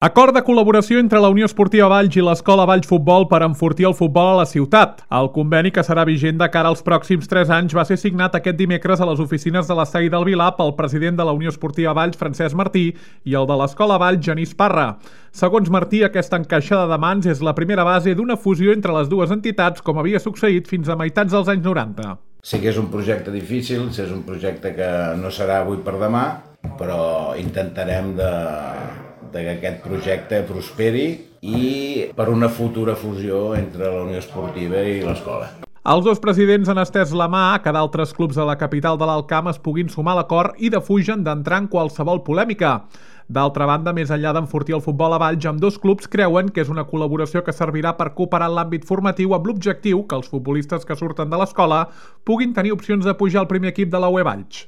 Acord de col·laboració entre la Unió Esportiva Valls i l'Escola Valls Futbol per enfortir el futbol a la ciutat. El conveni, que serà vigent de cara als pròxims 3 anys, va ser signat aquest dimecres a les oficines de l'Estadi del Vilar pel president de la Unió Esportiva Valls, Francesc Martí, i el de l'Escola Valls, Genís Parra. Segons Martí, aquesta encaixada de mans és la primera base d'una fusió entre les dues entitats, com havia succeït fins a meitats dels anys 90. Sí que és un projecte difícil, és un projecte que no serà avui per demà, però intentarem que aquest projecte prosperi i per una futura fusió entre la Unió Esportiva i l'escola. Els dos presidents han estès la mà a que d'altres clubs de la capital de l'Alt Camp es puguin sumar a l'acord i defugen d'entrar en qualsevol polèmica. D'altra banda, més enllà d'enfortir el futbol a Valls, ambdós clubs creuen que és una col·laboració que servirà per cooperar en l'àmbit formatiu amb l'objectiu que els futbolistes que surten de l'escola puguin tenir opcions de pujar al primer equip de la UE Valls.